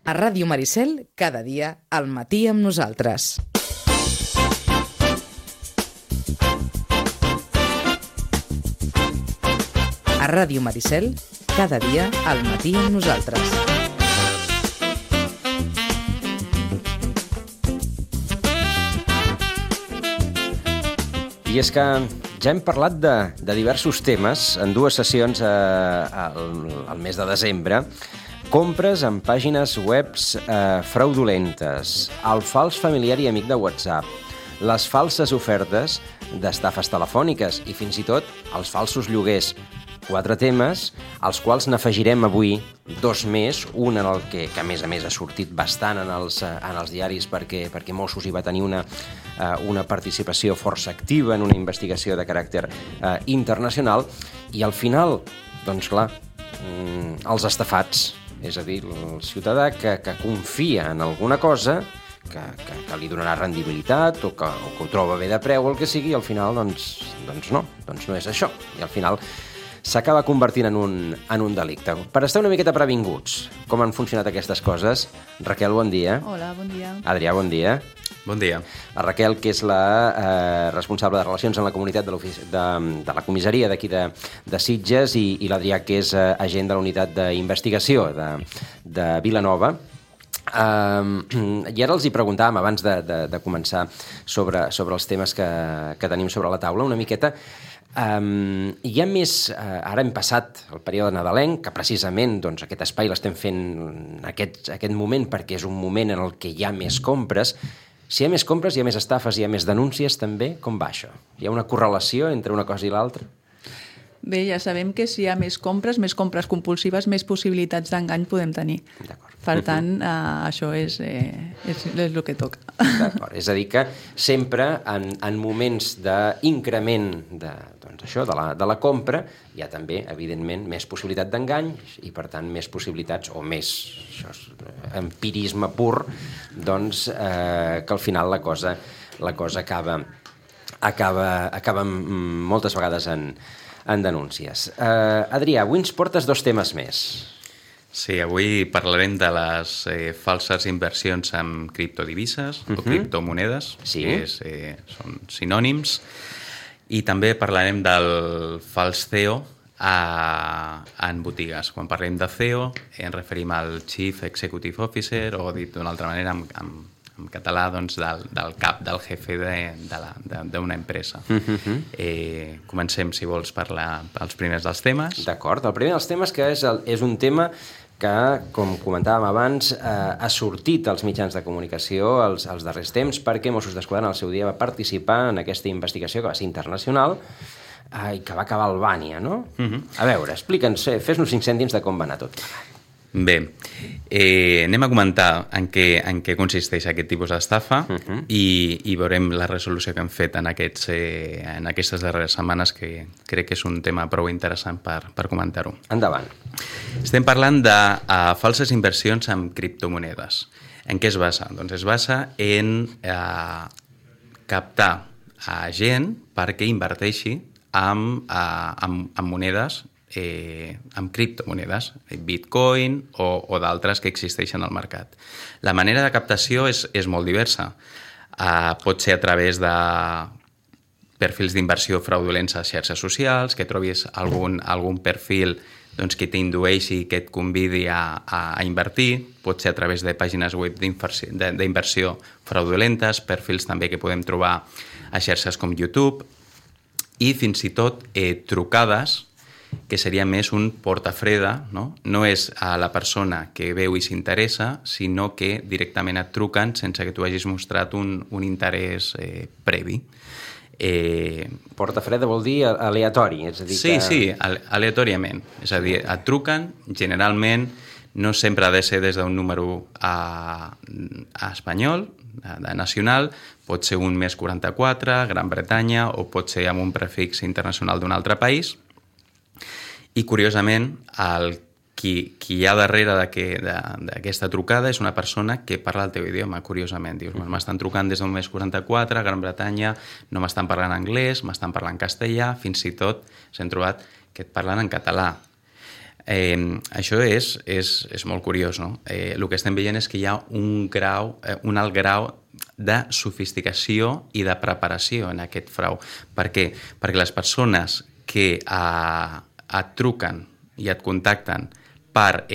A Ràdio Maricel, cada dia, al matí amb nosaltres. A Ràdio Maricel, cada dia, al matí amb nosaltres. I és que ja hem parlat de diversos temes en dues sessions al mes de desembre. Compres en pàgines webs fraudulentes, el fals familiar i amic de WhatsApp, les falses ofertes d'estafes telefòniques i fins i tot els falsos lloguers. 4 temes, als quals n'afegirem avui 2 més, un en el que a més a més ha sortit bastant en els diaris perquè Mossos hi va tenir una participació força activa en una investigació de caràcter internacional, i al final, doncs clar, els estafats, és a dir, el ciutadà que confia en alguna cosa, que li donarà rendibilitat o que ho troba bé de preu o el que sigui, i al final doncs no és això, i al final s'acaba convertint en un delicte. Per estar una miqueta previnguts, com han funcionat aquestes coses, Raquel, bon dia. Hola, bon dia. Adrià, bon dia. Bon dia. La Raquel, que és la responsable de Relacions en la Comunitat de la comissaria d'aquí de Sitges, i l'Adrià, que és agent de la unitat d'investigació de Vilanova. I ara els hi preguntàvem, abans de començar, sobre els temes que tenim sobre la taula, una miqueta. Hi ha més, ara hem passat el període nadalenc, que precisament aquest espai l'estem fent en aquest moment perquè és un moment en el que hi ha més compres. Si hi ha més compres, hi ha més estafes, hi ha més denúncies també. Com va això? Hi ha una correlació entre una cosa i l'altra? Bé, ja sabem que si hi ha més compres compulsives, més possibilitats d'engany podem tenir. D'acord. Per tant, això és el que toca. D'acord. És a dir que sempre en moments d'increment de la compra hi ha també, evidentment, més possibilitat d'engany i, per tant, més possibilitats o més empirisme pur, doncs, que al final la cosa acaba moltes vegades en denúncies. Adrià, avui ens portes 2 temes més. Sí, avui parlarem de les falses inversions en criptodivises o criptomonedes, sí, que són sinònims, i també parlarem del fals CEO en botigues. Quan parlem de CEO ens referim al Chief Executive Officer, o dit d'una altra manera en català, doncs, del cap, del jefe d'una empresa. Comencem, si vols, per els primers dels temes. D'acord. El primer dels temes, que és un tema que, com comentàvem abans, ha sortit als mitjans de comunicació els darrers temps, perquè Mossos d'Esquadra al seu dia va participar en aquesta investigació que va ser internacional i que va acabar a Albània, no? A veure, explica'ns, fes-nos 5 cèntims de com va anar tot. Bé, anem a comentar en què consisteix aquest tipus d'estafa i veurem la resolució que hem fet en aquestes darreres setmanes, que crec que és un tema prou interessant per comentar-ho. Endavant. Estem parlant de falses inversions en criptomonedes. En què es basa? Doncs es basa en captar a gent perquè inverteixi en monedes, amb criptomonedes, Bitcoin o d'altres que existeixen al mercat. La manera de captació és molt diversa. Pot ser a través de perfils d'inversió fraudulents a xarxes socials, que trobis algun perfil que t'indueixi, que et convidi a invertir. Pot ser a través de pàgines web d'inversió fraudulentes, perfils també que podem trobar a xarxes com YouTube, i fins i tot trucades, que seria més un portafreda, no? No és a la persona que veu i s'interessa, sinó que directament et truquen sense que tu hagis mostrat un interès previ. Portafreda vol dir aleatori, és a dir que... Sí, aleatòriament. És a dir, et truquen, generalment, no sempre ha de ser des d'un número espanyol, nacional, pot ser un més 44, Gran Bretanya, o pot ser amb un prefix internacional d'un altre país. I, curiosament, qui hi ha darrere d'aquesta trucada és una persona que parla el teu idioma, curiosament. Dius, m'estan trucant des d'un més 44, Gran Bretanya, no m'estan parlant anglès, m'estan parlant castellà, fins i tot s'han trobat que et parlen en català. Això és molt curiós, no? El que estem veient és que hi ha un alt grau de sofisticació i de preparació en aquest frau. Per què? Perquè les persones que et truquen i et contacten per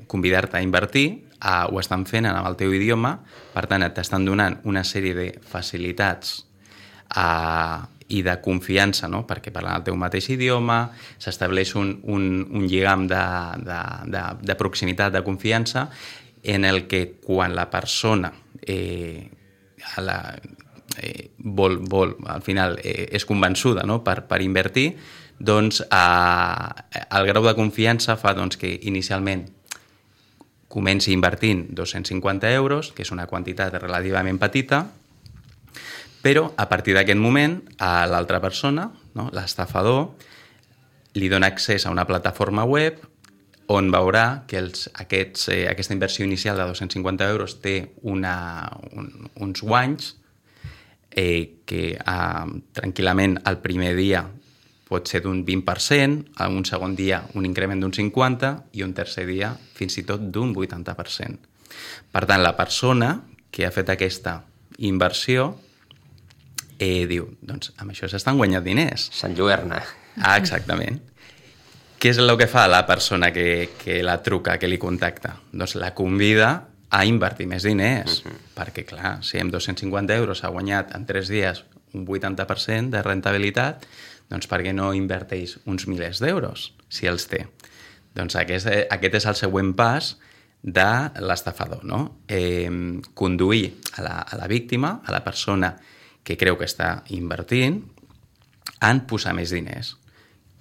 convidar-te a invertir, ho estan fent en el teu idioma, per tant, t'estan donant una sèrie de facilitats i de confiança, no? Perquè parlen el teu mateix idioma, s'estableix un lligam de proximitat, de confiança, en el que quan la persona vol al final és convençuda, no? per invertir, doncs el grau de confiança fa que inicialment comenci invertint 250 euros, que és una quantitat relativament petita, però a partir d'aquest moment a l'altra persona, no? L'estafador, li dona accés a una plataforma web on veurà que aquesta inversió inicial de 250 euros té uns guanys que tranquil·lament el primer dia pot ser d'un 20%, un segon dia un increment d'un 50% i un tercer dia fins i tot d'un 80%. Per tant, la persona que ha fet aquesta inversió diu, doncs amb això s'estan guanyant diners. S'enlluerna. Exactament. Què és el que fa la persona que la truca, que li contacta? Doncs la convida a invertir més diners, perquè clar, si amb 250 euros ha guanyat en 3 dies un 80% de rentabilitat, doncs per què no inverteix uns milers d'euros, si els té? Doncs aquest és el següent pas de l'estafador, no? Conduir a la víctima, a la persona que creu que està invertint, en posar més diners.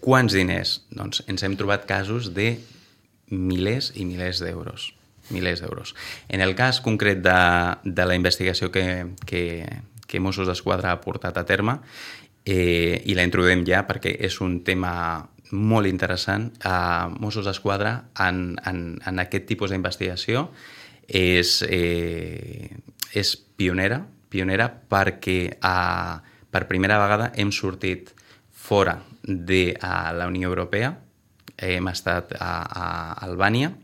Quants diners? Doncs ens hem trobat casos de milers i milers d'euros. Milers d'euros. En el cas concret de la investigació que Mossos d'Esquadra ha portat a terme, i la introduïm ja perquè és un tema molt interessant, Mossos d'Esquadra en aquest tipus d'investigació és pionera perquè per primera vegada hem sortit fora de la Unió Europea, hem estat a Albània,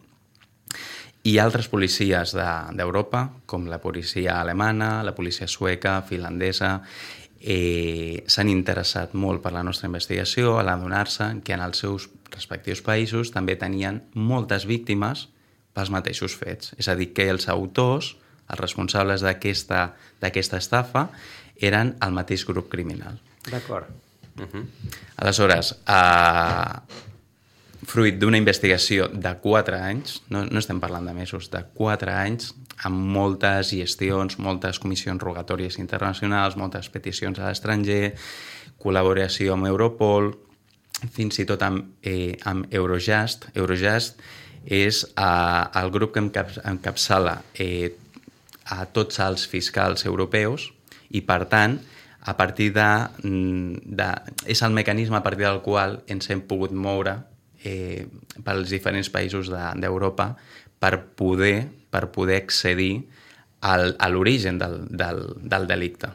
i altres policies d'Europa, com la policia alemana, la policia sueca, finlandesa, s'han interessat molt per la nostra investigació a l'adonar-se que en els seus respectius països també tenien moltes víctimes pels mateixos fets. És a dir, que els autors, els responsables d'aquesta estafa, eren el mateix grup criminal. D'acord. Aleshores, fruit d'una investigació de 4 anys, no estem parlant de mesos, de 4 anys, amb moltes gestions, moltes comissions rogatòries internacionals, moltes peticions a l'estranger, col·laboració amb Europol, fins i tot amb Eurojust. Eurojust és el grup que encapçala a tots els fiscals europeus i, per tant, a partir és el mecanisme a partir del qual ens hem pogut moure pels diferents països d'Europa per poder accedir a l'origen del delicte.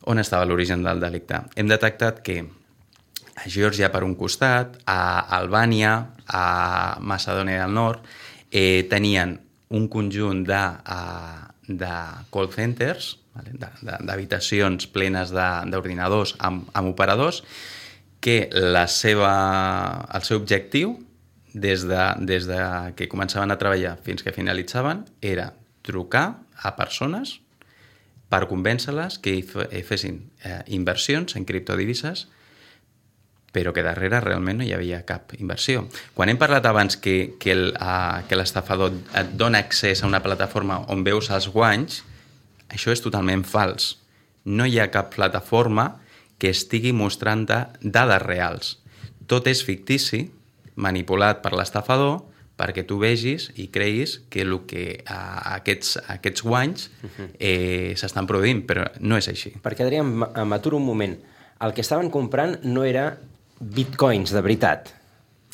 On estava l'origen del delicte? Hem detectat que a Geòrgia, per un costat, a Albània, a Macedònia del Nord, tenien un conjunt de call centers, d'habitacions plenes d'ordinadors amb operadors, que el seu objectiu, des de que començaven a treballar fins que finalitzaven, era trucar a persones per convèncer-les que fessin inversions en criptodivises, però que darrere realment no hi havia cap inversió. Quan hem parlat abans que l'estafador et dona accés a una plataforma on veus els guanys, això és totalment fals. No hi ha cap plataforma que estigui mostrant dades reals. Tot és fictici, manipulat per l'estafador, perquè tu vegis i creguis que aquests guanys s'estan produint, però no és així. Perquè, Adrià, m'aturo un moment. El que estaven comprant no era bitcoins de veritat,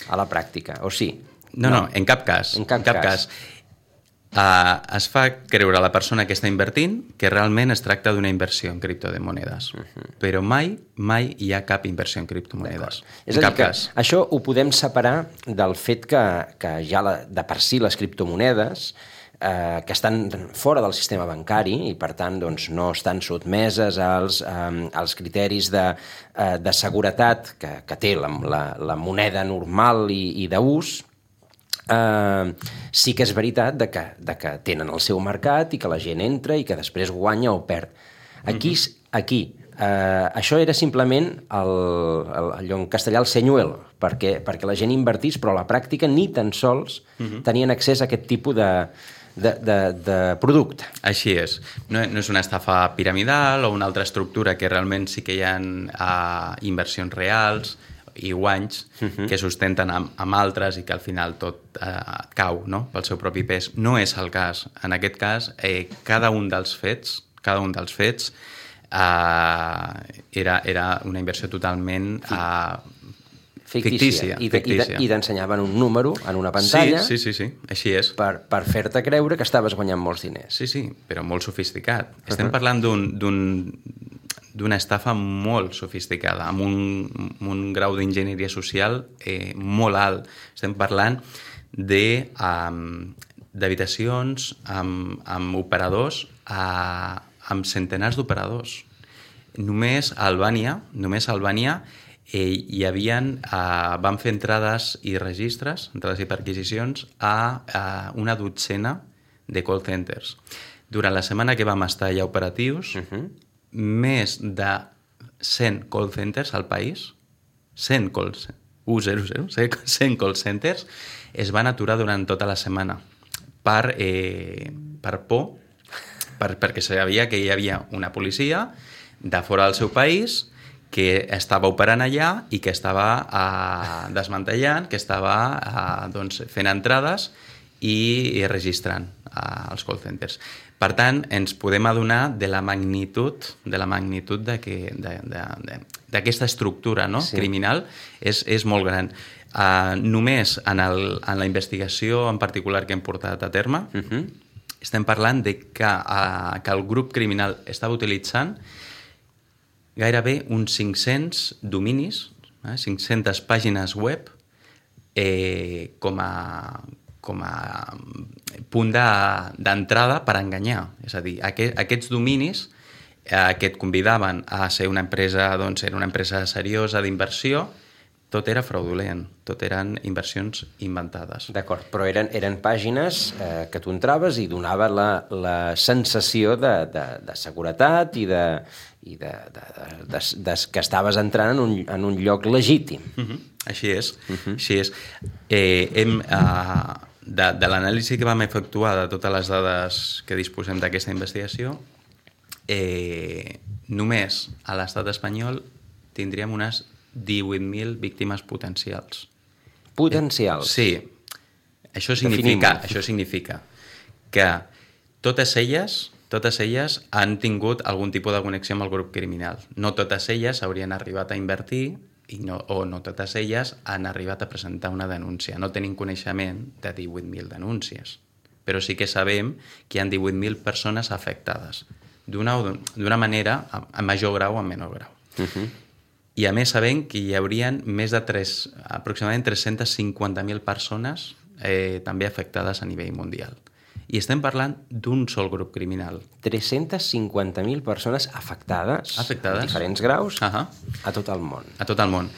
a la pràctica, o sí? No, en cap cas. En cap cas. es fa creure a la persona que està invertint que realment es tracta d'una inversió en criptomonedes. Però mai hi ha cap inversió en criptomonedes. És a dir, que això ho podem separar del fet que ja de per si les criptomonedes que estan fora del sistema bancari i, per tant, doncs, no estan sotmeses als criteris de seguretat que té la moneda normal i d'ús. Sí que és veritat de que tenen el seu mercat i que la gent entra i que després guanya o perd. Aquí això era simplement allò en castellà el senyuelo, perquè la gent invertís, però a la pràctica ni tan sols tenien accés a aquest tipus de producte. Així és. No és una estafa piramidal o una altra estructura que realment sí que hi ha inversions reals i guanys que sustenten amb altres i que al final tot cau, no?, pel seu propi pes. No és el cas. En aquest cas, cada un dels fets era una inversió totalment fictícia. I t'ensenyaven un número en una pantalla sí, així és. Per fer-te creure que estaves guanyant molts diners. Sí, però molt sofisticat. Estem parlant d'una estafa molt sofisticada, amb un grau d'enginyeria social molt alt. Estem parlant d'habitacions amb operadors, amb centenars d'operadors. Només a Albània van fer entrades i registres, entrades i perquisicions a una dotzena de call centers. Durant la setmana que vam estar allà operatius, més de 100 call centers al país, 100 call centers es van aturar durant tota la setmana per por, perquè sabia que hi havia una policia de fora del seu país que estava operant allà i que estava desmantellant, que estava fent entrades i registrant els call centers. Per tant, ens podem adonar de la magnitud d'aquesta estructura, no?, criminal. És molt gran. Només en la investigació en particular que hem portat a terme, estem parlant de que el grup criminal estava utilitzant gairebé uns 500 dominis, 500 pàgines web com a punt d'entrada per enganyar. És a dir, aquests dominis que et convidaven a ser una empresa, doncs era una empresa seriosa d'inversió, tot era fraudulent, tot eren inversions inventades. D'acord, però eren pàgines que tu entraves i donava la sensació de seguretat i que estaves entrant en un lloc legítim. Així és. De l'anàlisi que vam efectuar de totes les dades que disposem d'aquesta investigació, només a l'estat espanyol tindríem unes 18.000 víctimes potencials. Potencials? Sí. Això significa que totes elles han tingut algun tipus de connexió amb el grup criminal. No totes elles haurien arribat a invertir o no totes elles han arribat a presentar una denúncia. No tenim coneixement de 18.000 denúncies, però sí que sabem que hi ha 18.000 persones afectades, d'una manera, a major grau o a menor grau. I a més sabem que hi haurien més de aproximadament 350.000 persones també afectades a nivell mundial. I estem parlant d'un sol grup criminal. 350.000 persones afectades a diferents graus a tot el món. A tot el món.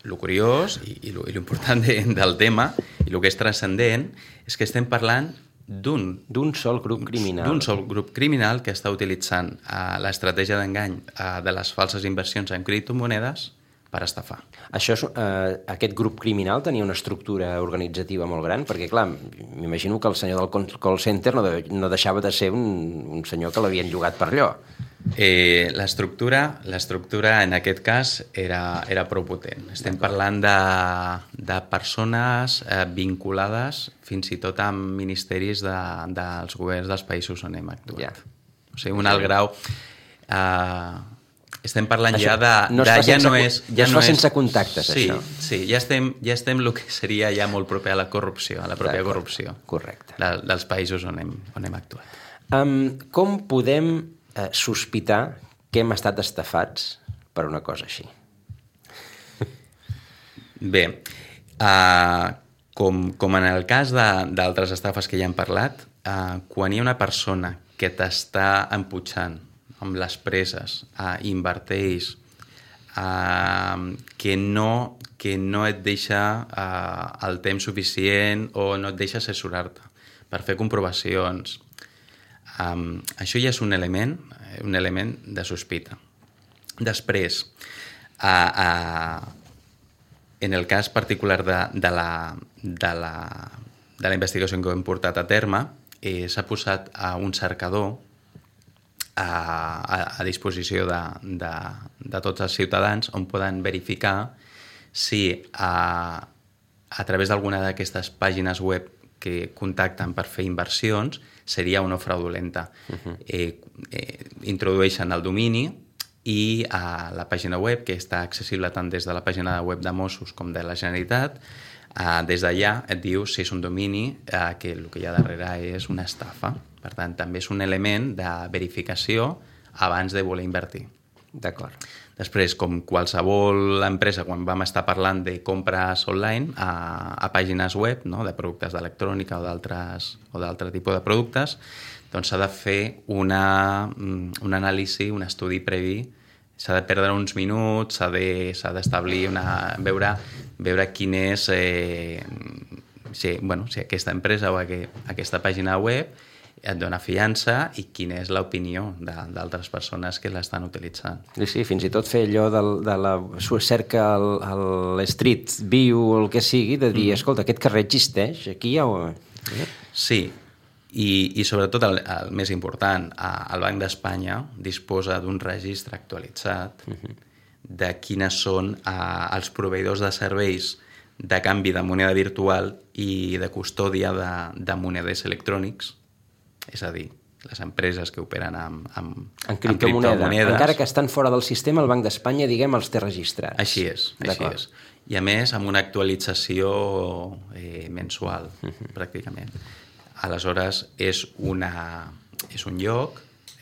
El curiós i l'important del tema i el que és transcendent és que estem parlant d'un sol grup criminal. D'un sol grup criminal que està utilitzant l'estratègia d'engany de les falses inversions en criptomonedes per estafar. Aquest grup criminal tenia una estructura organitzativa molt gran, perquè, clar, m'imagino que el senyor del call center no deixava de ser un senyor que l'havien llogat per allò. L'estructura en aquest cas era prou potent. Estem parlant de persones vinculades fins i tot amb ministeris dels governs dels països on hem actuat. O sigui, un alt grau... estem parlant Això, ja de... no es fa sense contactes, sí, això. Sí, ja estem el que seria ja molt proper a la corrupció, a la pròpia corrupció. Correcte. Dels països on hem actuat. Com podem sospitar que hem estat estafats per una cosa així? Bé, com en el cas d'altres estafes que ja hem parlat, quan hi ha una persona que t'està emputxant amb les preses, inverteix, que no et deixa el temps suficient o no et deixa assessorar-te per fer comprovacions. Això ja és un element de sospita. Després, en el cas particular de la investigació que hem portat a terme, s'ha posat un cercador a disposició de tots els ciutadans on poden verificar si a través d'alguna d'aquestes pàgines web que contacten per fer inversions seria o no fraudulenta. Introdueixen el domini i a la pàgina web, que està accessible tant des de la pàgina web de Mossos com de la Generalitat, des d'allà et diu si és un domini que el que hi ha darrere és una estafa. Per tant, també és un element de verificació abans de voler invertir. D'acord. Després, com qualsevol empresa, quan vam estar parlant de compres online a pàgines web, no?, de productes d'electrònica o d'altre tipus de productes, doncs s'ha de fer un anàlisi, un estudi previ, s'ha de perdre uns minuts, s'ha d'establir veure quin és si aquesta empresa o aquesta pàgina web et dona fiança i quina és l'opinió d'altres persones que l'estan utilitzant. Sí, fins i tot fer allò de la cerca a l'Street View o el que sigui, de dir, escolta, aquest carrer existeix, aquí ja ho... Sí, i sobretot el més important, el Banc d'Espanya disposa d'un registre actualitzat de quines són els proveïdors de serveis de canvi de moneda virtual i de custòdia de monedes electrònics, és a dir, les empreses que operen amb criptomonedes. Encara que estan fora del sistema, el Banc d'Espanya, diguem, els té registrats. Així és. I a més, amb una actualització mensual, pràcticament. Aleshores, és un lloc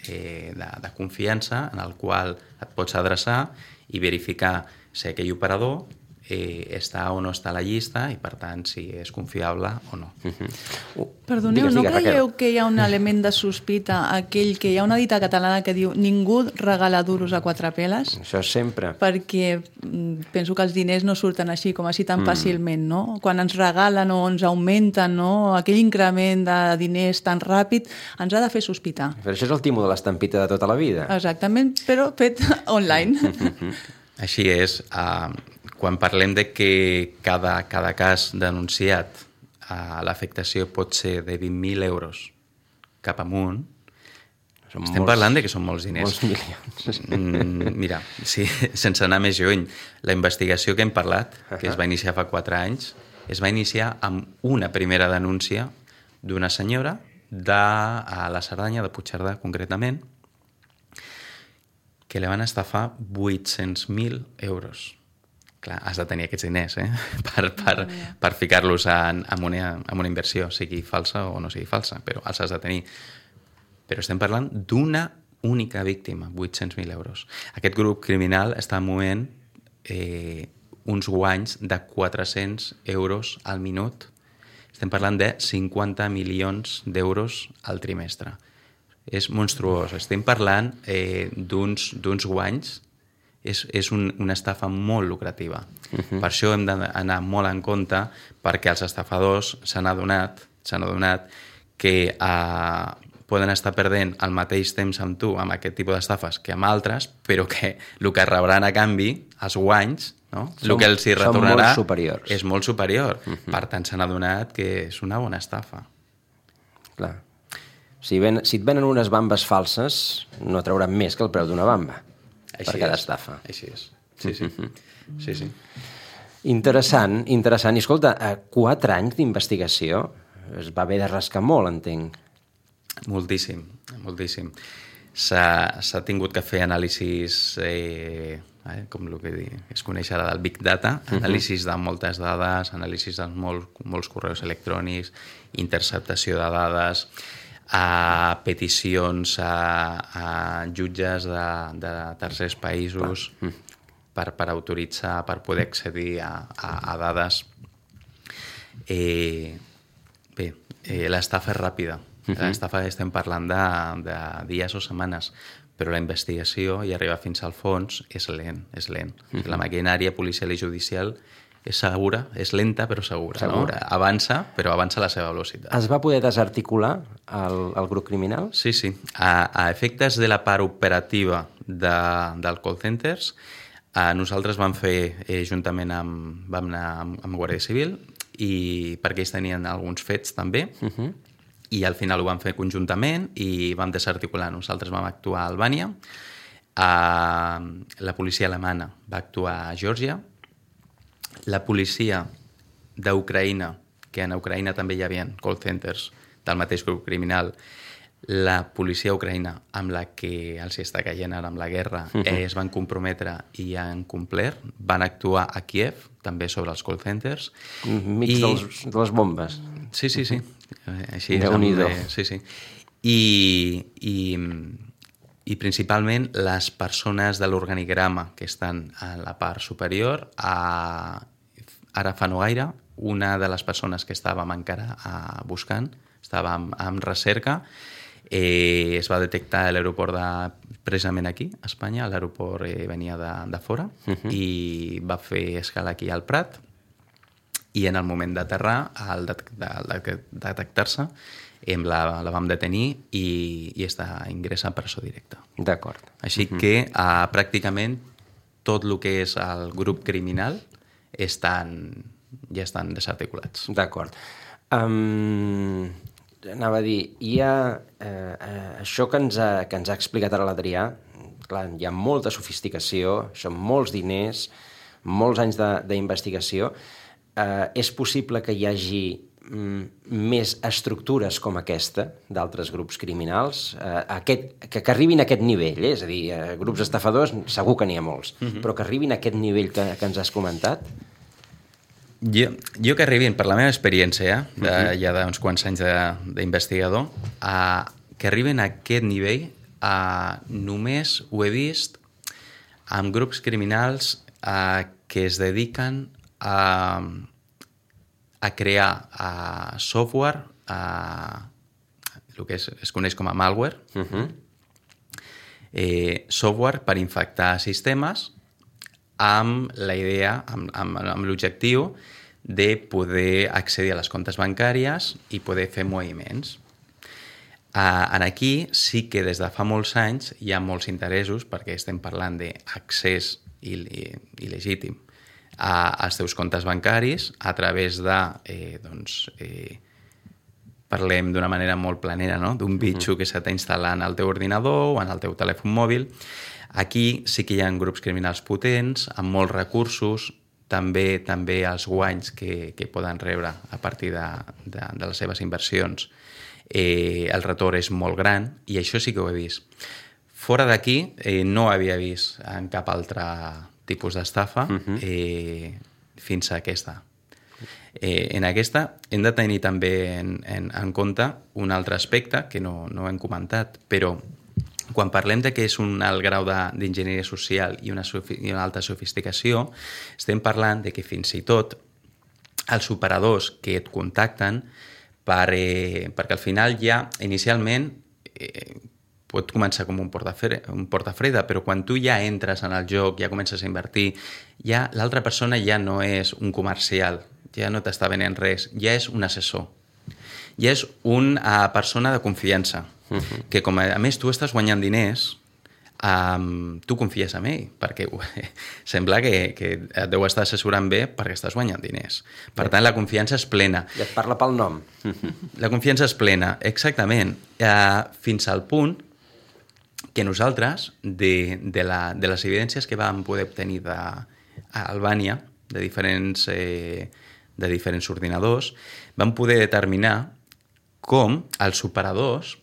de confiança en el qual et pots adreçar i verificar si aquell operador està o no està a la llista i, per tant, si és confiable o no. Perdoneu, no creieu que hi ha un element de sospita, aquell que hi ha una dita catalana que diu ningú regala duros a quatre peles? Això sempre. Perquè penso que els diners no surten així, com així tan fàcilment, no? Quan ens regalen o ens augmenten, no?, aquell increment de diners tan ràpid, ens ha de fer sospitar. Però això és el timo de l'estampita de tota la vida. Exactament, però fet online. Així és. Quan parlem de que cada cas denunciat l'afectació pot ser de 20.000 euros cap amunt, estem parlant de que són molts diners. Molts milions. Mira, sí, sense anar més lluny, la investigació que hem parlat, que es va iniciar fa 4 anys, es va iniciar amb una primera denúncia d'una senyora de la Cerdanya, de Puigcerdà concretament, que li van estafar 800.000 euros. Clar, has de tenir aquests diners per ficar-los en una inversió, sigui falsa o no sigui falsa, però els has de tenir. Però estem parlant d'una única víctima, 800.000 euros. Aquest grup criminal està movent uns guanys de 400 euros al minut. Estem parlant de 50 milions d'euros al trimestre. És monstruós. Estem parlant d'uns guanys. És una estafa molt lucrativa. Per això hem d'anar molt en compte, perquè els estafadors s'han adonat que poden estar perdent el mateix temps amb tu amb aquest tipus d'estafes que amb altres, però que el que rebran a canvi, els guanys, no? El que els hi retornarà és molt superior. Per tant, s'han adonat que és una bona estafa. Clar. Si et venen unes bambes falses, no trauran més que el preu d'una bamba. Per cada estafa. Així és. Sí. Interessant. I escolta, 4 anys d'investigació es va haver de rascar molt, entenc. Moltíssim. s'ha tingut que fer anàlisis, com el que es coneix ara del Big Data, anàlisis de moltes dades, anàlisis de molts correus electrònics, interceptació de dades, a peticions a jutges de tercers països per autoritzar, per poder accedir a dades. Bé, l'estafa és ràpida. L'estafa estem parlant de dies o setmanes, però la investigació i arribar fins al fons és lent. La maquinària policial i judicial és segura, és lenta però segura. No? Avança, però avança a la seva velocitat. Es va poder desarticular el grup criminal? Sí. A efectes de la part operativa del call centers, nosaltres vam fer, juntament vam anar amb Guàrdia Civil, i perquè ells tenien alguns fets també, i al final ho vam fer conjuntament i vam desarticular. Nosaltres vam actuar a Albània, la policia alemana va actuar a Geòrgia, la policia d'Ucraïna, que en Ucraïna també hi havia call centers del mateix grup criminal, la policia ucraïna amb la que els està caient ara amb la guerra es van comprometre i han complert, van actuar a Kiev també sobre els call centers. Mig de les bombes. Sí. Així Déu-n'hi-do. Sí. I principalment les persones de l'organigrama que estan a la part superior, ara fa no gaire, una de les persones que estàvem encara buscant, estàvem en recerca, es va detectar a l'aeroport precisament aquí, a Espanya, l'aeroport venia de fora, i va fer escala aquí al Prat, i en el moment d'aterrar, al detectar-se, la vam detenir i està ingressa en presó directa. D'acord. Així que pràcticament tot el que és el grup criminal ja estan desarticulats. D'acord. Anava a dir, hi ha això que ens ha explicat ara l'Adrià, clar, hi ha molta sofisticació, són molts diners, molts anys d'investigació. És possible que hi hagi més estructures com aquesta d'altres grups criminals que arribin a aquest nivell, és a dir, grups estafadors segur que n'hi ha molts, però que arribin a aquest nivell que ens has comentat? Jo que arribin, per la meva experiència, ja d'uns quants anys d'investigador, que arriben a aquest nivell només ho he vist amb grups criminals que es dediquen a crear software, el que es coneix com a malware, software per infectar sistemes amb la idea, amb l'objectiu de poder accedir a les comptes bancàries i poder fer moviments. Aquí sí que des de fa molts anys hi ha molts interessos, perquè estem parlant d'accés il·legítim als teus comptes bancaris a través de, parlem d'una manera molt planera, no? D'un bitxo que s'ha instal·lat en el teu ordinador o en el teu telèfon mòbil. Aquí sí que hi ha grups criminals potents, amb molts recursos, també els guanys que poden rebre a partir de les seves inversions. El retorn és molt gran i això sí que ho he vist. Fora d'aquí no havia vist en cap altre tipus d'estafa fins a aquesta. En aquesta hem de tenir també en compte un altre aspecte que no hem comentat, però quan parlem de que és un alt grau d'enginyeria social i una alta sofisticació, estem parlant de que fins i tot els operadors que et contacten perquè al final ja inicialment pot començar com un portafreda, però quan tu ja entres en el joc, ja comences a invertir, ja l'altra persona ja no és un comercial, ja no t'està venent res, ja és un assessor. Ja és una persona de confiança, que com a més tu estàs guanyant diners, tu confies en ell, perquè sembla que et deu estar assessorant bé perquè estàs guanyant diners. Per tant, la confiança és plena. I et parla pel nom. La confiança és plena, exactament. Fins al punt que nosaltres, de les evidències que vam poder obtenir a Albània, de diferents ordinadors, vam poder determinar com els operadors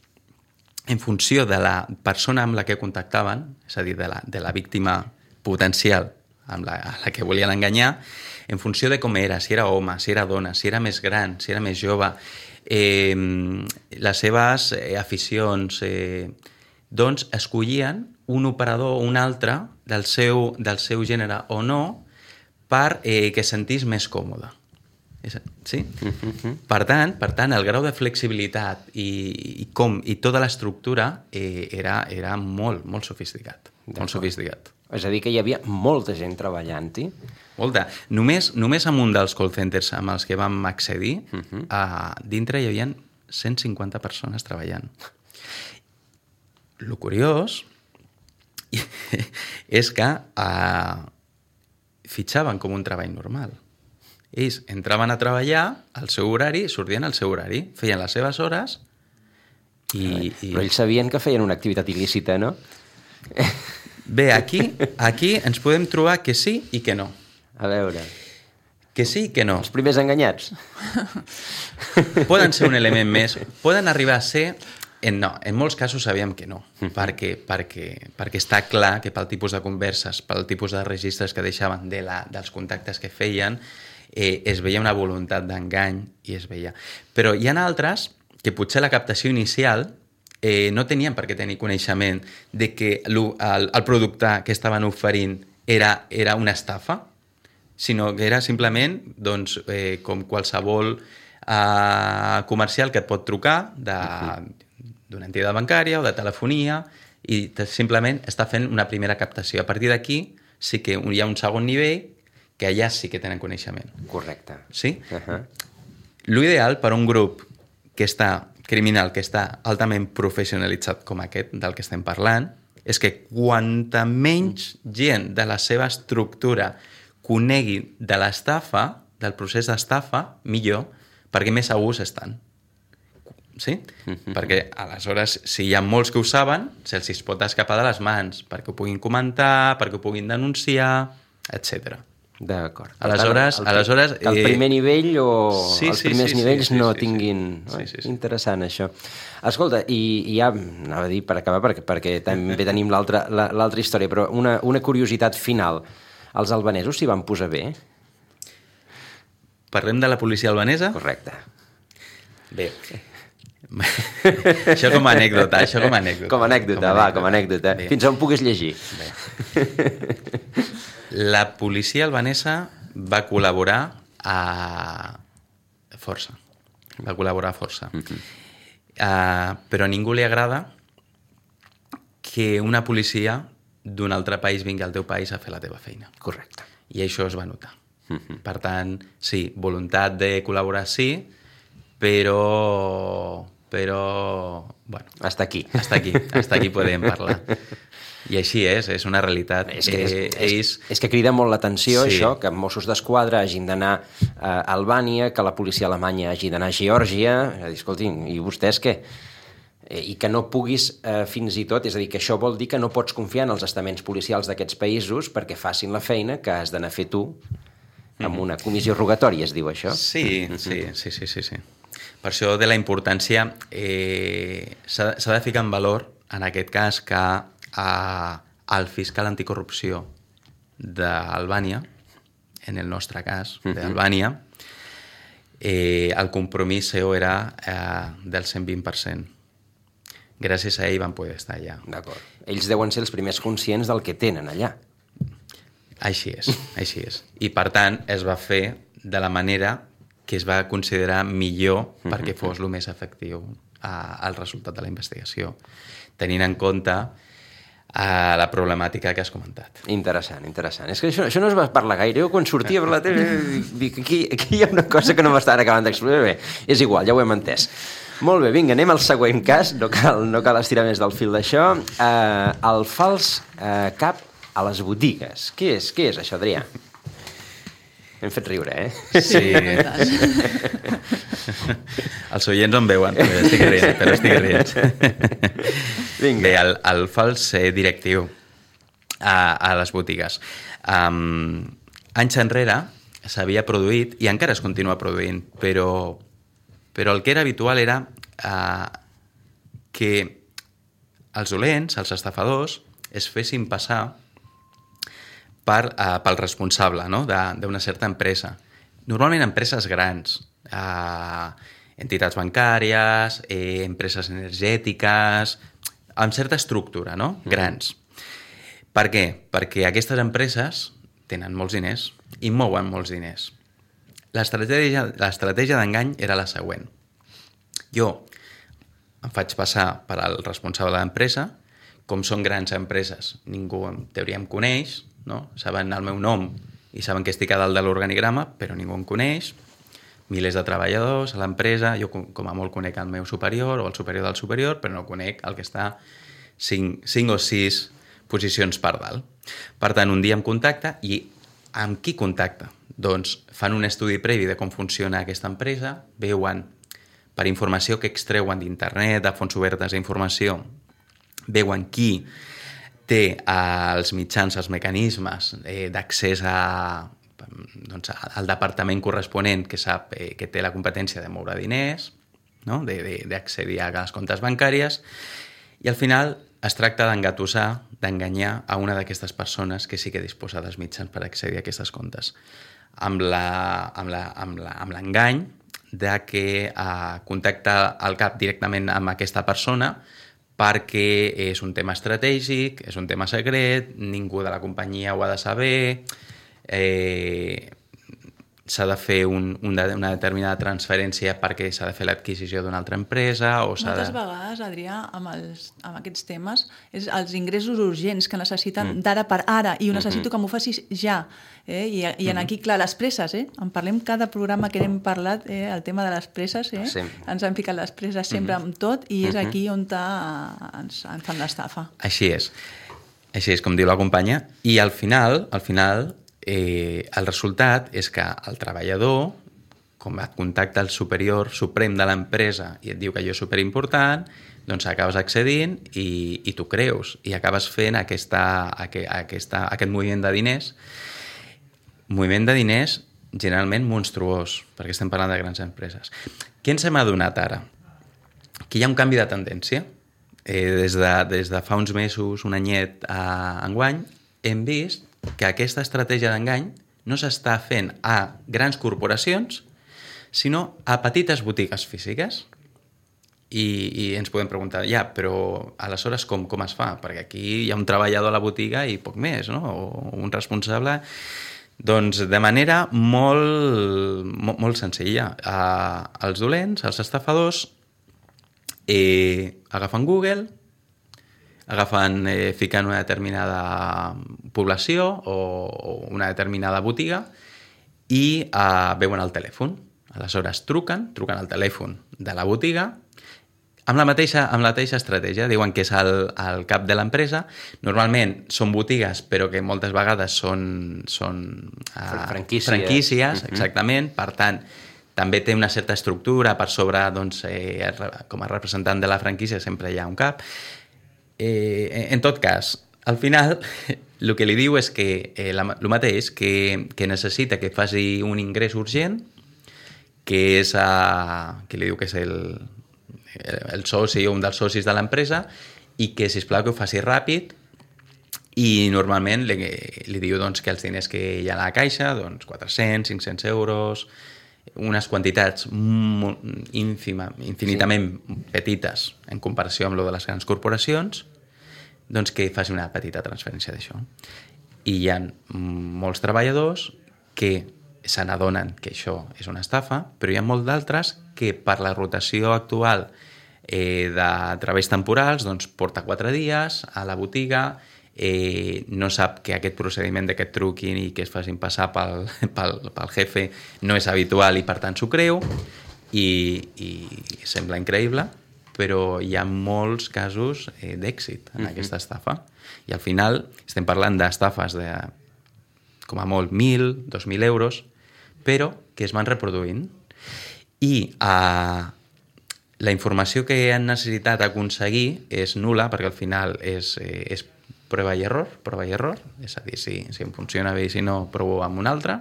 en funció de la persona amb la que contactaven, és a dir, de la víctima potencial a la que volien enganyar, en funció de com era, si era home, si era dona, si era més gran, si era més jove, les seves aficions, doncs escollien un operador o un altre del seu gènere o no per que sentís més còmode. Sí? Per tant, el grau de flexibilitat i tota l'estructura era molt, molt sofisticat. Molt sofisticat. És a dir, que hi havia molta gent treballant-hi. Molta. Només amb un dels call centers amb els que vam accedir, dintre hi havia 150 persones treballant. Lo curiós és que fitxaven com un treball normal. Ells entraven a treballar al seu horari, sortien al seu horari, feien les seves hores i... Però ells sabien que feien una activitat il·lícita, no? Bé, aquí ens podem trobar que sí i que no. A veure... Que sí i que no. Els primers enganyats. Poden ser un element més, poden arribar a ser... No, en molts casos sabíem que no, perquè està clar que pel tipus de converses, pel tipus de registres que deixaven dels contactes que feien, es veia una voluntat d'engany i es veia. Però hi ha altres que potser la captació inicial no tenien per què tenir coneixement de que el producte que estaven oferint era una estafa, sinó que era simplement doncs, com qualsevol comercial que et pot trucar d'una entitat bancària o de telefonia i simplement està fent una primera captació. A partir d'aquí sí que hi ha un segon nivell que allà sí que tenen coneixement. Correcte. Sí? L'ideal per a un grup criminal que està altament professionalitzat com aquest del que estem parlant és que quanta menys gent de la seva estructura conegui de l'estafa, del procés d'estafa, millor, perquè més segurs estan. Sí? Perquè aleshores, si hi ha molts que ho saben, se'ls pot escapar de les mans, perquè ho puguin comentar, perquè ho puguin denunciar, etc. D'acord. Aleshores... Que el primer nivell o els primers nivells no tinguin... Sí. Interessant, això. Escolta, i ja anava a dir per acabar, perquè també tenim l'altra història, però una curiositat final. Els albanesos s'hi van posar bé? Parlem de la policia albanesa? Correcte. Bé. Això com a anècdota. Com a anècdota. Bé. Fins on puguis llegir. Bé. La policia albanesa va col·laborar força. Però a ningú li agrada que una policia d'un altre país vingui al teu país a fer la teva feina. Correcte. I això es va notar. Per tant, sí, voluntat de col·laborar sí, però bueno, hasta aquí podem parlar. I així és una realitat. És que crida molt l'atenció, sí. Això, que Mossos d'Esquadra hagin d'anar a Albània, que la policia alemanya hagi d'anar a Geòrgia, escoltin, i vostès què? I que no puguis fins i tot, és a dir, que això vol dir que no pots confiar en els estaments policials d'aquests països perquè facin la feina que has d'anar a fer tu amb una comissió rogatòria, es diu això? Sí. Per això de la importància s'ha de ficar en valor, en aquest cas, que el fiscal anticorrupció d'Albània, en el nostre cas, d'Albània, el compromís seu era del 120%. Gràcies a ell van poder estar allà. D'acord. Ells deuen ser els primers conscients del que tenen allà. Així és. I per tant es va fer de la manera que es va considerar millor perquè fos el més efectiu el resultat de la investigació, tenint en compte la problemàtica que has comentat. Interessant. És que això no es va parlar gaire. Jo quan sortia per la tele dic, aquí hi ha una cosa que no m'estan acabant d'explicar. Bé, és igual, ja ho hem entès. Molt bé, vinga, anem al següent cas. No cal estirar més del fil d'això. El fals cap a les botigues. Què és això, Adrià? Hem fet riure, Sí. Els oients no em veuen, però estic rient. Vinga. Bé, el fals directiu a les botigues. Anys enrere s'havia produït, i encara es continua produint, però el que era habitual era que els dolents, els estafadors, es fessin passar pel responsable, no?, d'una certa empresa. Normalment empreses grans, entitats bancàries, empreses energètiques, amb certa estructura, no?, grans. Per què? Perquè aquestes empreses tenen molts diners i mouen molts diners. L'estratègia d'engany era la següent. Jo em faig passar per al responsable de l'empresa, com són grans empreses, ningú en teoria em coneix, no? Saben el meu nom i saben que estic a dalt de l'organigrama, però ningú em coneix, milers de treballadors a l'empresa, jo com a molt conec el meu superior o el superior del superior, però no conec el que està 5 o 6 posicions per dalt. Per tant, un dia em contacta i amb qui contacta? Doncs fan un estudi previ de com funciona aquesta empresa, veuen per informació que extreuen d'internet, de fonts obertes d'informació, veuen qui té els mitjans, els mecanismes d'accés al departament corresponent que sap que té la competència de moure diners, no?, d'accedir a les comptes bancàries, i al final es tracta d'engatussar, d'enganyar a una d'aquestes persones que sí que disposa dels mitjans per accedir a aquestes comptes. Amb l'engany de que contacta el cap directament amb aquesta persona perquè és un tema estratègic, és un tema secret, ningú de la companyia ho ha de saber, s'ha de fer una determinada transferència perquè s'ha de fer l'adquisició d'una altra empresa o Moltes vegades, Adrià, amb aquests temes, és els ingressos urgents que necessiten d'ara per ara i ho necessito que m'ho facis ja. I aquí, clar, les presses, en parlem cada programa que hem parlat, el tema de les presses, ens han ficat les presses sempre amb tot i és aquí on ens fan l'estafa. Així és, com diu la companya, i al final, el resultat és que el treballador, com et contacta el superior suprem de l'empresa i et diu que allò és superimportant, doncs acabes accedint i t'ho creus i acabes fent aquest moviment de diners generalment monstruós, perquè estem parlant de grans empreses. Què ens hem adonat ara? Que hi ha un canvi de tendència. Des de fa uns mesos, un anyet a enguany, hem vist que aquesta estratègia d'engany no s'està fent a grans corporacions, sinó a petites botigues físiques. I ens podem preguntar, però aleshores com es fa? Perquè aquí hi ha un treballador a la botiga i poc més, no? O un responsable. Doncs de manera molt senzilla. Els dolents, els estafadors, agafen Google, ficant una determinada població o una determinada botiga i veuen el telèfon. Aleshores truquen al telèfon de la botiga amb la mateixa estratègia. Diuen que és el cap de l'empresa. Normalment són botigues, però que moltes vegades són franquícies, exactament. Per tant, també té una certa estructura per sobre, doncs, com a representant de la franquícia sempre hi ha un cap. En tot cas, al final, el que li diu és que el mateix, que necessita que faci un ingrés urgent, que és que li diu que és el soci o un dels socis de l'empresa i que, sisplau, que ho faci ràpid i normalment li diu doncs, que els diners que hi ha a la caixa, doncs 400, 500 euros, unes quantitats infinitament petites en comparació amb lo de les grans corporacions, doncs que faci una petita transferència d'això. I hi ha molts treballadors que se n'adonen que això és una estafa, però hi ha molts d'altres que per la rotació actual de treballs temporals doncs porta 4 dies a la botiga, no sap que aquest procediment de que et truquin i que es facin passar pel jefe no és habitual i per tant s'ho creu i sembla increïble, però hi ha molts casos d'èxit en aquesta estafa. I al final estem parlant d'estafes de com a molt 1.000, 2.000 euros, però que es van reproduint. I la informació que han necessitat aconseguir és nul·la, perquè al final és prova i error, és a dir, si em funciona bé i si no, provo amb un altre.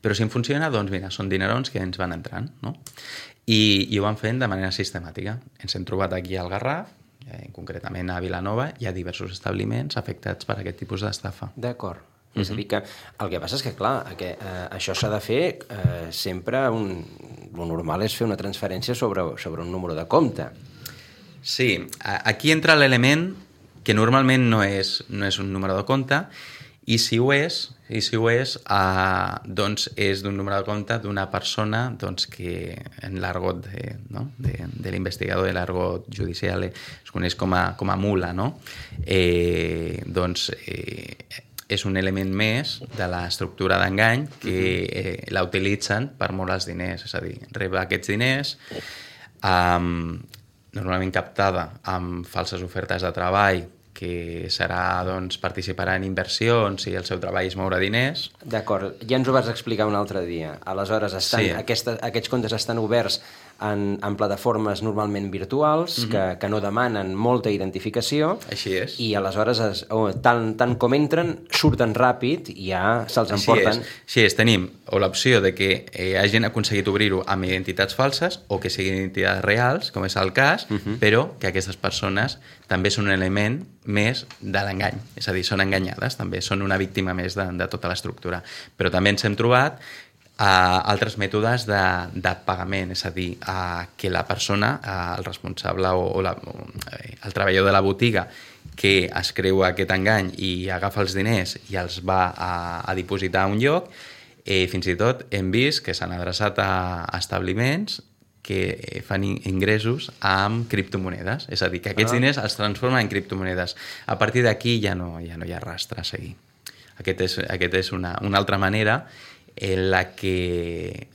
Però si em funciona, doncs mira, són dinerons que ens van entrant, no? I ho van fent de manera sistemàtica. Ens hem trobat aquí al Garraf, concretament a Vilanova hi ha diversos establiments afectats per aquest tipus d'estafa. D'acord. És a dir, que el que passa és que, clar, això s'ha de fer sempre... Lo normal és fer una transferència sobre un número de compte. Sí, aquí entra l'element que normalment no és un número de compte, i si ho és, doncs és d'un número de compte d'una persona que en l'argot de l'investigador, de l'argot judicial, es coneix com a mula, no? És un element més de l'estructura d'engany que la utilitzen per moure els diners, és a dir, rep aquests diners normalment captada amb falses ofertes de treball, que serà, participar en inversions i el seu treball és moure diners. D'acord, ja ens ho vas explicar un altre dia. Aleshores, aquests comptes estan oberts en plataformes normalment virtuals que no demanen molta identificació. Així és. I aleshores, tant com entren, surten ràpid i ja se'ls emporten. Així és, tenim l'opció de que hagin aconseguit obrir-ho amb identitats falses o que siguin identitats reals, com és el cas, però que aquestes persones també són un element més de l'engany. És a dir, són enganyades, també són una víctima més de tota l'estructura. Però també ens hem trobat altres mètodes de pagament, és a dir, que la persona, el responsable o el treballador de la botiga que es creu aquest engany i agafa els diners i els va a dipositar a un lloc, fins i tot hem vist que s'han adreçat a establiments que fan ingressos amb criptomonedes, és a dir, que aquests diners es transformen en criptomonedes. A partir d'aquí ja no hi ha rastre a seguir. Aquest és una altra manera en la que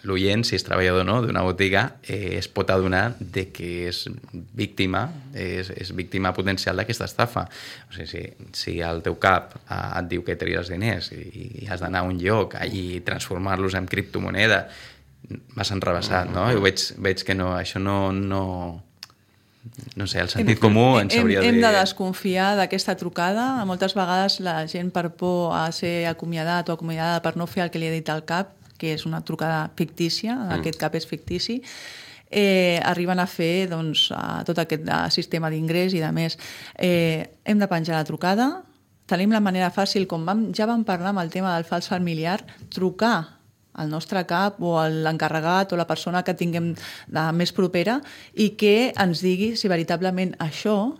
l'oient, si és treballador o no d'una botiga, es pot adonar de que és víctima potencial d'aquesta estafa. O sigui, si el teu cap et diu que tries diners i has d'anar a un lloc i transformar-los en criptomoneda, vas enrevessat, no? I veig que no, això no sé, el sentit comú ens hauria de... Hem de desconfiar d'aquesta trucada. Moltes vegades la gent, per por a ser acomiadat o acomiadada per no fer el que li ha dit el cap, que és una trucada fictícia, aquest cap és fictici, arriben a fer tot aquest sistema d'ingrés i de més. Hem de penjar la trucada. Tenim la manera fàcil, com ja vam parlar amb el tema del fals familiar, trucar al nostre cap o a l'encarregat o la persona que tinguem més propera i que ens digui si veritablement això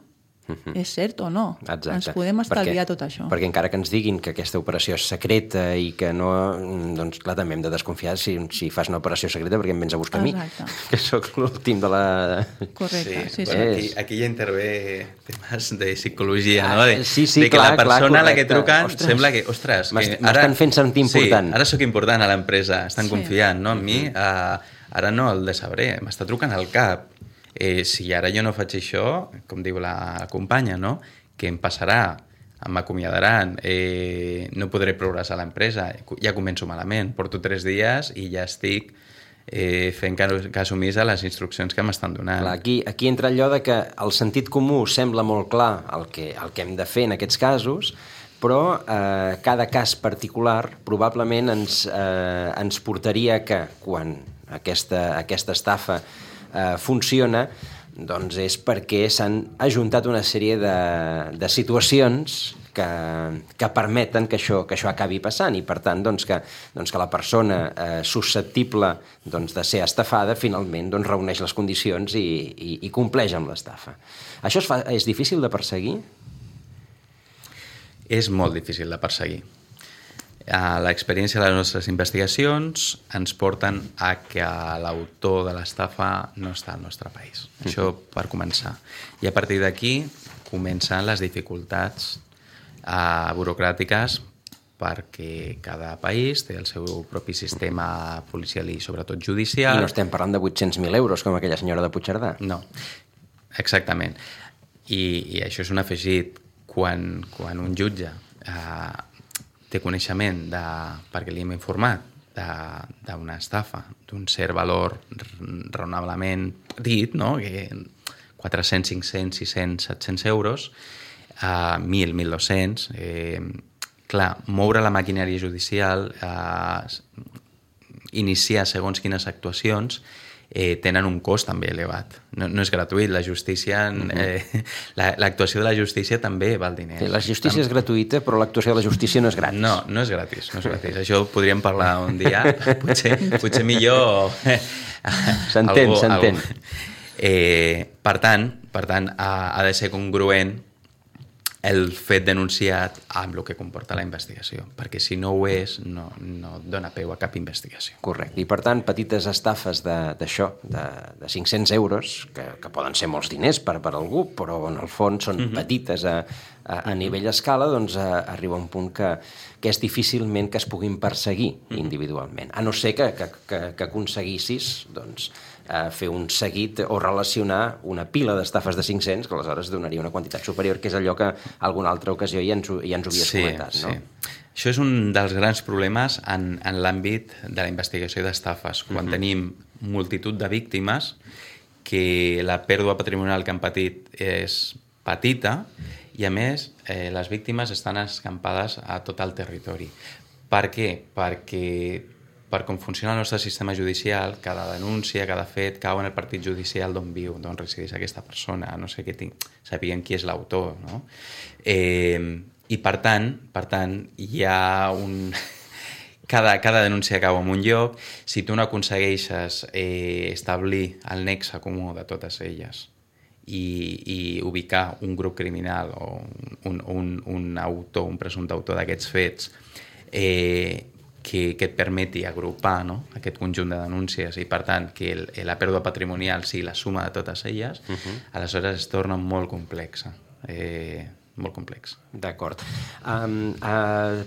és cert o no. Exacte. Ens podem estalviar tot això. Perquè encara que ens diguin que aquesta operació és secreta i que no... Doncs clar, també hem de desconfiar si fas una operació secreta perquè em vens a buscar a mi, que sóc l'últim de la... Correcte, sí. Bueno, aquí ja intervé temes de psicologia, no? Sí, de que clar, la persona a la que truquen ostres, sembla que... Ostres, m'estan fent sentir important. Sí, ara sóc important a l'empresa, estan confiant, no? En mi, ara no el decebré, m'està trucant al cap. Si ara jo no faig això, com diu la companya, no? Què em passarà? M'acomiadaran, no podré progressar a l'empresa, ja començo malament, porto 3 dies i ja estic fent cas omís a les instruccions que m'estan donant. Clar, aquí entra allò de que el sentit comú sembla molt clar el que hem de fer en aquests casos, però cada cas particular probablement ens portaria que quan aquesta estafa funciona, doncs és perquè s'han ajuntat una sèrie de situacions que permeten que això acabi passant i per tant que la persona susceptible de ser estafada finalment reuneix les condicions i compleix amb l'estafa. Això és difícil de perseguir? És molt difícil de perseguir. L'experiència de les nostres investigacions ens porten a que l'autor de l'estafa no està al nostre país. Això per començar. I a partir d'aquí comencen les dificultats burocràtiques perquè cada país té el seu propi sistema policial i sobretot judicial. I no estem parlant de 800.000 euros com aquella senyora de Puigcerdà. No, exactament. I això és un afegit. Quan un jutge té coneixement, perquè li hem informat, d'una estafa, d'un cert valor raonablement petit, no? Que 400, 500, 600, 700 euros, 1.000, 1.200... clar, moure la maquinària judicial, iniciar segons quines actuacions, tenen un cost també elevat. No és gratuït, la justícia... L'actuació de la justícia també val diners. La justícia és gratuïta, però l'actuació de la justícia no és gratis. No és gratis, no és gratis. Això ho podríem parlar un dia, potser millor... S'entén. Per tant, ha de ser congruent el fet denunciat amb el que comporta la investigació, perquè si no ho és, no dona peu a cap investigació. Correcte. I per tant, petites estafes d'això, de 500 euros, que poden ser molts diners per algú, però en el fons són petites a nivell escala, doncs arriba un punt que és difícilment que es puguin perseguir individualment. A no ser que aconseguissis doncs, fer un seguit o relacionar una pila d'estafes de 500, que aleshores donaria una quantitat superior, que és allò que alguna altra ocasió ja ens ho havies comentat. No? Sí. Això és un dels grans problemes en l'àmbit de la investigació d'estafes. Quan tenim multitud de víctimes, que la pèrdua patrimonial que han patit és petita, i a més les víctimes estan escampades a tot el territori. Per què? Perquè per com funciona el nostre sistema judicial, cada denúncia, cada fet, cau en el partit judicial d'on viu, d'on resideix aquesta persona, no sé què sabien qui és l'autor, no? I per tant, hi ha un... Cada denúncia cau en un lloc. Si tu no aconsegueixes establir el nexe comú de totes elles i ubicar un grup criminal o un autor, un presumpte autor d'aquests fets, que et permeti agrupar, no?, aquest conjunt de denúncies i, per tant, que la pèrdua patrimonial sigui la suma de totes elles, aleshores es torna molt complexa. Molt complex. D'acord.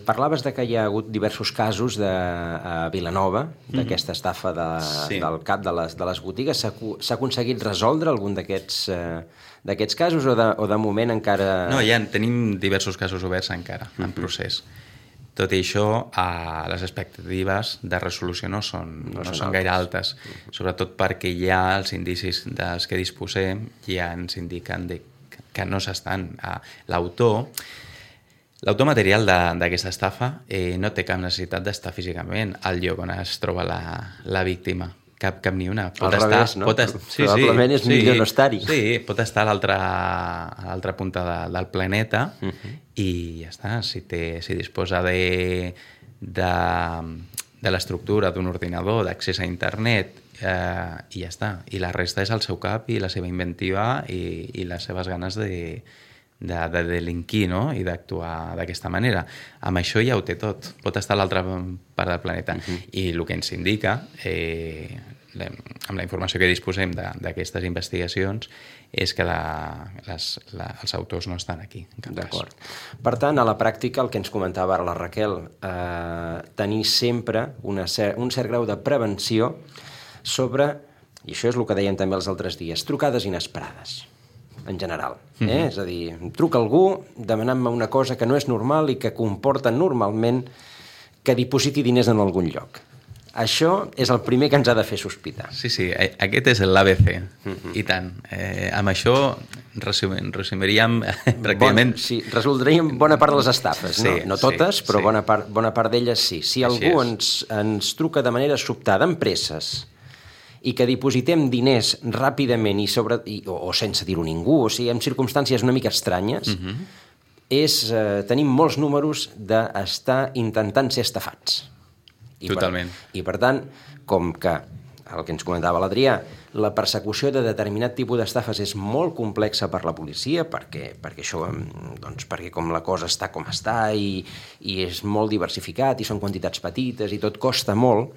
Parlaves de que hi ha hagut diversos casos a Vilanova, d'aquesta estafa del cap de les botigues. S'ha aconseguit resoldre algun d'aquests casos o de moment encara... No, tenim diversos casos oberts encara, en procés. Tot i això, les expectatives de resolució no són gaire altes, sobretot perquè ja els indicis dels que disposem ja ens indiquen que no s'estan. L'autor material d'aquesta estafa no té cap necessitat d'estar físicament al lloc on es troba la víctima. Cap ni una. Al revés, no? Probablement és millor no estar-hi. Sí, pot estar a l'altra punta del planeta i ja està. Si disposa de l'estructura d'un ordinador, d'accés a internet, i ja està. I la resta és el seu cap i la seva inventiva i les seves ganes de delinquir, no?, i d'actuar d'aquesta manera. Amb això ja ho té tot. Pot estar a l'altra part del planeta. I el que ens indica, amb la informació que disposem d'aquestes investigacions, és que els autors no estan aquí, en cap cas. D'acord. Per tant, a la pràctica, el que ens comentava ara la Raquel, tenir sempre un cert grau de prevenció sobre, i això és el que dèiem també els altres dies, trucades inesperades, en general. És a dir, truca algú demanant-me una cosa que no és normal i que comporta normalment que dipositi diners en algun lloc. Això és el primer que ens ha de fer sospitar. Sí, aquest és l'ABC, i tant. Amb això resumiríem pràcticament... Sí, resoldríem bona part de les estafes, no totes, però bona part d'elles sí. Si algú ens truca de manera sobtada, amb presses, i que dipositem diners ràpidament o sense dir-ho a ningú, o sigui, en circumstàncies una mica estranyes, tenim molts números d'estar intentant ser estafats. Totalment. I per tant, com que el que ens comentava l'Adrià, la persecució de determinat tipus d'estafes és molt complexa per la policia, perquè com la cosa està com està i és molt diversificat i són quantitats petites i tot costa molt,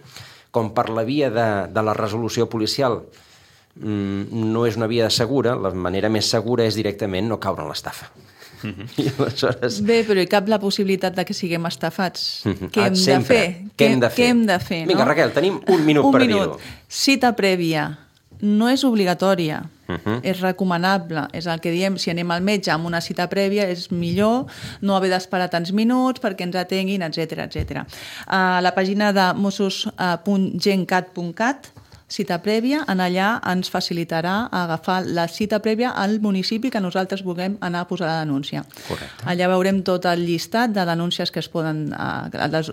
com per la via de la resolució policial no és una via segura, la manera més segura és directament no caure en l'estafa. I aleshores... Bé, però hi cap la possibilitat de que siguem estafats. Què hem de fer? Què hem de fer? Vinga, Raquel, tenim un minut per dir-ho. Cita prèvia. No és obligatòria, és recomanable. És el que diem, si anem al metge amb una cita prèvia és millor no haver d'esperar tants minuts perquè ens atenguin, etc. A la pàgina de mossos.gencat.cat, cita prèvia, en allà ens facilitarà agafar la cita prèvia al municipi que nosaltres vulguem anar a posar la denúncia. Correcte. Allà veurem tot el llistat de denúncies que es poden,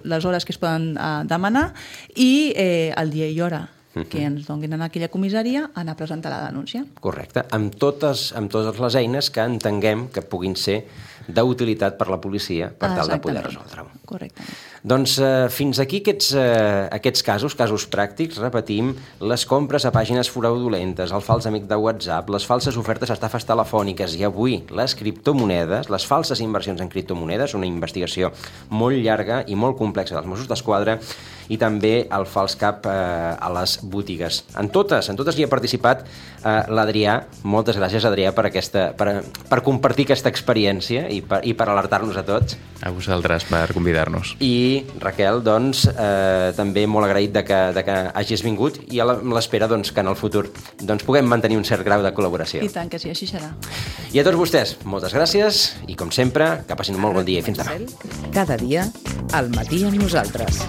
les hores que es poden demanar i el dia i hora. que ens donin en aquella comissaria a anar a presentar la denúncia. Correcte, amb totes les eines que entenguem que puguin ser d'utilitat per la policia per tal de poder resoldre-ho. Correctament. Doncs fins aquí aquests casos pràctics, repetim, les compres a pàgines fraudulentes, el fals amic de WhatsApp, les falses ofertes a estafes telefòniques i avui les criptomonedes, les falses inversions en criptomonedes, una investigació molt llarga i molt complexa dels Mossos d'Esquadra, i també el fals cap a les botigues. En totes hi ha participat l'Adrià. Moltes gràcies, Adrià, per compartir aquesta experiència i per alertar-nos a tots. A vosaltres per convidar-nos. I Raquel, doncs, també molt agraït de que hagis vingut i amb l'espera que en el futur puguem mantenir un cert grau de col·laboració. I tant que sí, així serà. I a tots vostès, moltes gràcies i, com sempre, que passin un molt bon dia i fins demà. Cada dia, al matí amb nosaltres.